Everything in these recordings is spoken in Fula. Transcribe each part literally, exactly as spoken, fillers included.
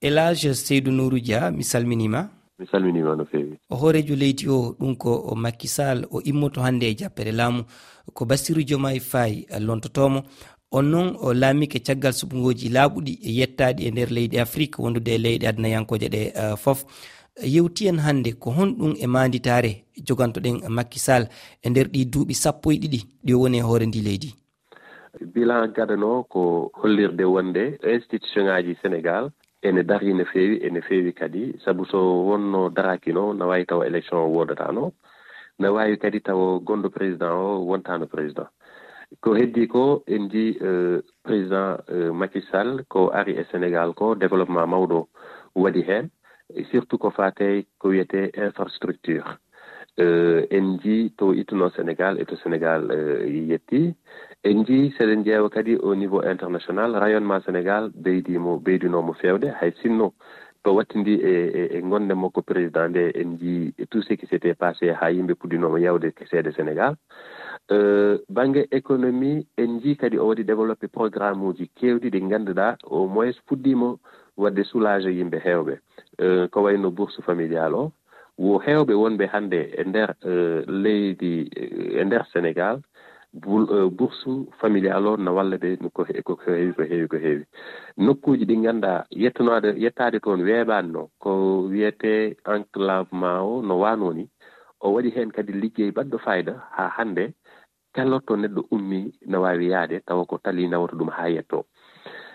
Elage Seydou Nourou Dia, mi salminiima. Mi salminiima no feewi. O hooreejo leydi o, ɗum ko o Macky Sall, o immoto hannde e jappere laamu. Ko Bassirou Diomaye Faye lontotoomo. On noon, o laamike caggal suɓngooji laaɓuɗi e yettaaɗi e nder leyɗe Afrik, wondude e leyɗe adnayankooje ɗe, eh, fof. Yewti en hannde ko honɗum e maanditaare jogantoɗen Macky Sall e nder ɗi duuɓi sappo e ɗiɗi ɗi o woni e hoore ndi leydi? Bilan gadano ko hollirde wonde institution ngaji Sénégal ene darii no feewi, ene feewi kadi, sabu so wonno daraaki no, na waawi tawa élection o woodatano, na waawi kadi tawa gonɗo président o wontano président. Ko heddi ko, en njii, eh, président, eh, Macky Sall ko ari e Sénégal ko, développement mawɗo waɗi heen, surtout ko faate ko wiyetee infrastructure. Eh, en njii to ittuno Sénégal e to Sénégal, eh, yetti. En njii, seɗen ƴeewa kadi au niveau international, rayonnement Sénégal ɓeydiimo, ɓeydinoomo feewde, hay sinno to wattindi e, e, e ngonde makko président nde, en njii tout ce qui s'était passé haa yimɓe puɗɗinooma yawde seede Sénégal. Eh, bannge économie, en njii kadi o waɗi développé programme uji keewɗi ɗi ngannduɗaa au moins puɗɗiima waɗde soulager yimɓe heewɓe. Eh, ko wayno bourse familiale o, wo heewɓe wonɓe hannde e nder, eh, leydi, eh, e nder Sénégal, bul-, eh, bourse familiale o na walla ɓe no ko he-, ko heewi, ko heewi, ko heewi. Nokkuuji ɗi ngannduɗaa yettunaade, yettaade toon weeɓaani no, ko wiyetee enclavement o no waanoo ni, o waɗi heen kadi liggey baɗɗo fayda haa hannde kala to neɗɗo ummi na waawi yahde tawa ko tali nawata ɗum haa yetto.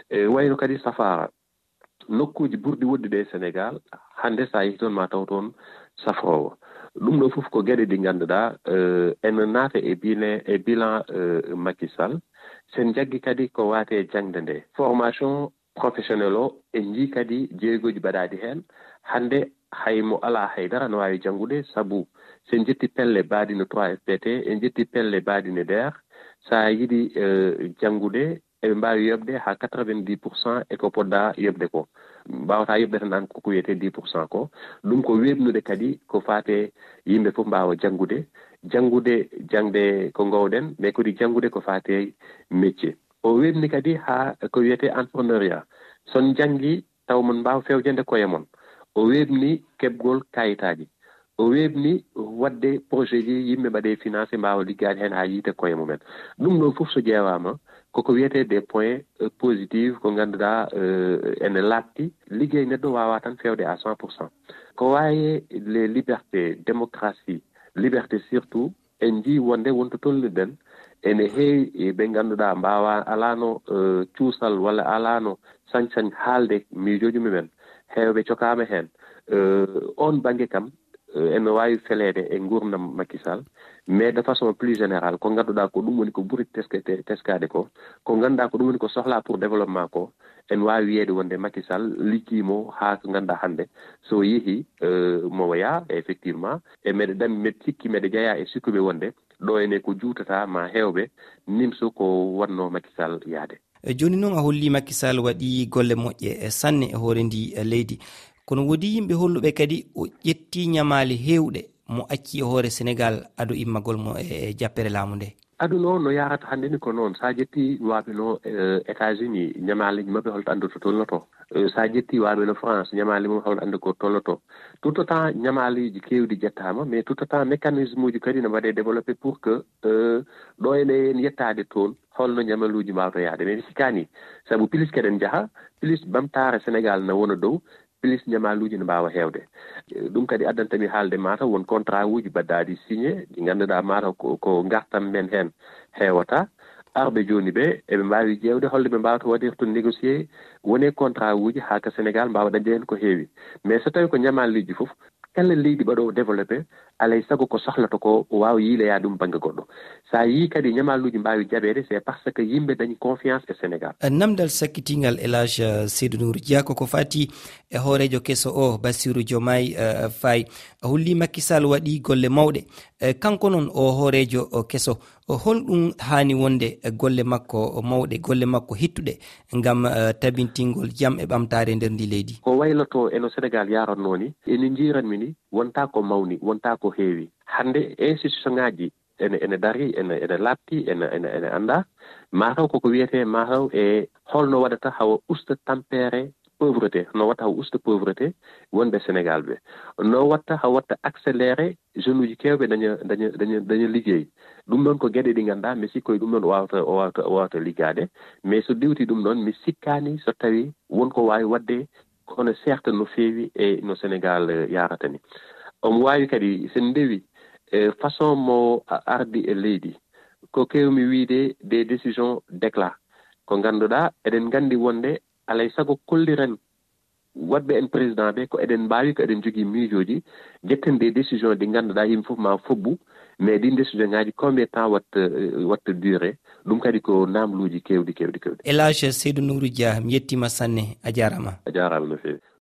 E wayno kadi safaara, nokkuuji ɓurɗi woɗɗude e Sénégal, hannde so a yehii toon ma taw toon safroowo. Ɗum ɗo fof ko geɗe ɗi ngannduɗaa, eh, ene naata e bile-, e bilan, eh, Macky Sall. Sen jaggi kadi ko waate jaŋde nde, formation professionnel o, en njii kadi jeegoji mbaɗaaɗi heen. Hannde hay mo alaa hay dara no waawi janngude, sabu sen njetti pelle mbaɗi no trois F P T, en njetti pelle mbaɗi no D E R, so a yiɗi, eh, janngude, eɓe mbaawi yoɓde haa quatre-vingt-dix pour cent e ko poɗɗa yoɓde ko. Mbaawata yoɓde tan aan ko ko wiyetee dix pour cent ko. Ɗum ko weeɓnude kadi ko faate yimɓe fof mbaawa janngude, janngude jaŋde ko ngoowɗen, mais kadi janngude ko faate métier. O weeɓni kadi haa ko wiyetee entrepreneuriat. So on njanngi taw mon mbaawa fewjande koye mon. O weeɓni keɓgol kayitaaji. O weeɓni waɗde projet ji yimɓe mbaɗe financé mbaawa liggaade heen haa yiite koye mumen. Ɗum ɗo fof so ƴeewaama, koko wiyetee des points, euh, positifs ko ngannduɗaa, euh, ene laaɓti. Liggey neɗɗo waawaa tan fewde à cent pour cent. Ko waawi les libertés, démocratie, liberté surtout, en njii wonde wonto tolniɗen, ene heewi, e, ɓe ngannduɗaa mbaawa, alaano, eh, cuusal walla alaano sañ-sañ haalde miijooji mumen. Heewɓe cokaama heen. Eh, oon bannge kam, eh, ene waawi feleede e nguurndam Macky Sall, mais de façon plus générale, ko ngannduɗaa ko ɗum woni ko ɓuri teske-, te-, teskaade ko, ko ngannduɗaa ko ɗum woni ko sohlaa pour développement ko, en waawi wiyeede wonde Macky Sall liggiimo haa ko ngannduɗaa hannde, so yehi, eh, mo wayaa, effectivement, e meɗe dam-, meɗe sikki, meɗe jeyaa e sikkuɓe wonde ɗo ene ko juutata ma heewɓe nimso ko wonno Macky Sall yaade. E jooni noon a holli Macky Sall waɗi golle moƴƴe, e sanne e hoore ndi, e leydi. Kono woodi yimɓe holluɓe kadi o ƴetti ñamaali heewɗe mo acci e hoore Sénégal ado immagol mo e, e jappere laamu nde. Aduna o no yaarata hannde ni ko noon. So a ƴetti waaɓe no, eh, États-Unis, ñamaaleeji maɓɓe holto anndu to tolnoto. Eh, so a ƴetti waaɓe no France, ñamaali mum holto anndu ko tolnoto. Tout autant ñamaaleeji keewɗi ƴettaama, mais tout autant mécanisme uji kadi no mbaɗe développé pour que, eh, ɗo ene en yettaade toon, holno ñamaluuji mbaawta yaade. Mais mi sikkaani, sabu plus keɗen njaha, plus ɓamtaare Sénégal na wona dow, plus ñamaluuji ne mbaawa heewde. Eh, ɗum kadi addanta mi haalde mataw won contrat uji mbaɗɗaaɗi signé, ɗi ngannduɗaa mataw ko, ko ngartam men heen heewata. Arɓe jooni ɓe, eɓe mbaawi ƴeewde holno ɓe mbaawata waɗirde négocier, wone contrat uji haa ka Sénégal mbaawa dañde heen ko heewi. Mais so tawi ko ñamaluuji fof, kala leydi mbaɗoowo développé, alay sago ko sohlata ko o waawa yiiloyaa ɗum bannge goɗɗo. So a yii kadi ñamaluuji mbaawi jaɓeede, c'est parce que yimɓe dañi confiance e Sénégal. Namdal sakkitingal Elage Seydou Nour Dia ko ko fati e hooreejo keso o, Bassirou Diomaye, eh, Faye. A holli Macky Sall waɗi golle mawɗe. Eh, kanko noon o hooreejo o keso, o holɗum haani wonde e golle makko mawɗe, golle makko hittuɗe ngam, eh, tabintingol jam e ɓamtaare nder ndi leydi? Ko wayloto e no Sénégal yaarannoo ni, ene njiiranmi ni, wonta ko mawni, wonta ko heewi. Hannde institution ngaji ene, ene dari, ene, ene laaɓti, ene, ene, ene annda. Mataw koko wiyetee, mataw e holno waɗata hawa usta tampere pauvreté, no watta haw usta pauvreté wonɓe Sénégal ɓe, no watta haw watta accéléré jeune uji kewɓe daña daña daña daña liggey. Ɗum ɗon ko geɗe ɗi ngannduɗaa mi sikko e ɗum ɗon o wawata o wawata o wawata liggaade. Mais so ɗiwti ɗum ɗon mi sikkaani so tawi won ko waawi waɗde kono seerta no feewi e no Sénégal yarata ni. Omo waawi kadi sen ndewi e façon mo ardi e leydi, ko kewmi wiide des décisions d'éclat, ko ngannduɗaa eɗen nganndi wonde alay sago kolliren waɗɓe en président ɓe ko eɗen mbaawi ko eɗen jogii miijooji, jetten des décisions ɗi ngannduɗaa yimɓe fof ma fobbu. Mais ɗin décision ngaji combien temps watta watta duré? Ɗum kadi ko namluuji kewɗi kewɗi kewɗi. Elage Seydou Nourou Dia, mi yettima sanne, a jarama. A jarama no feewi.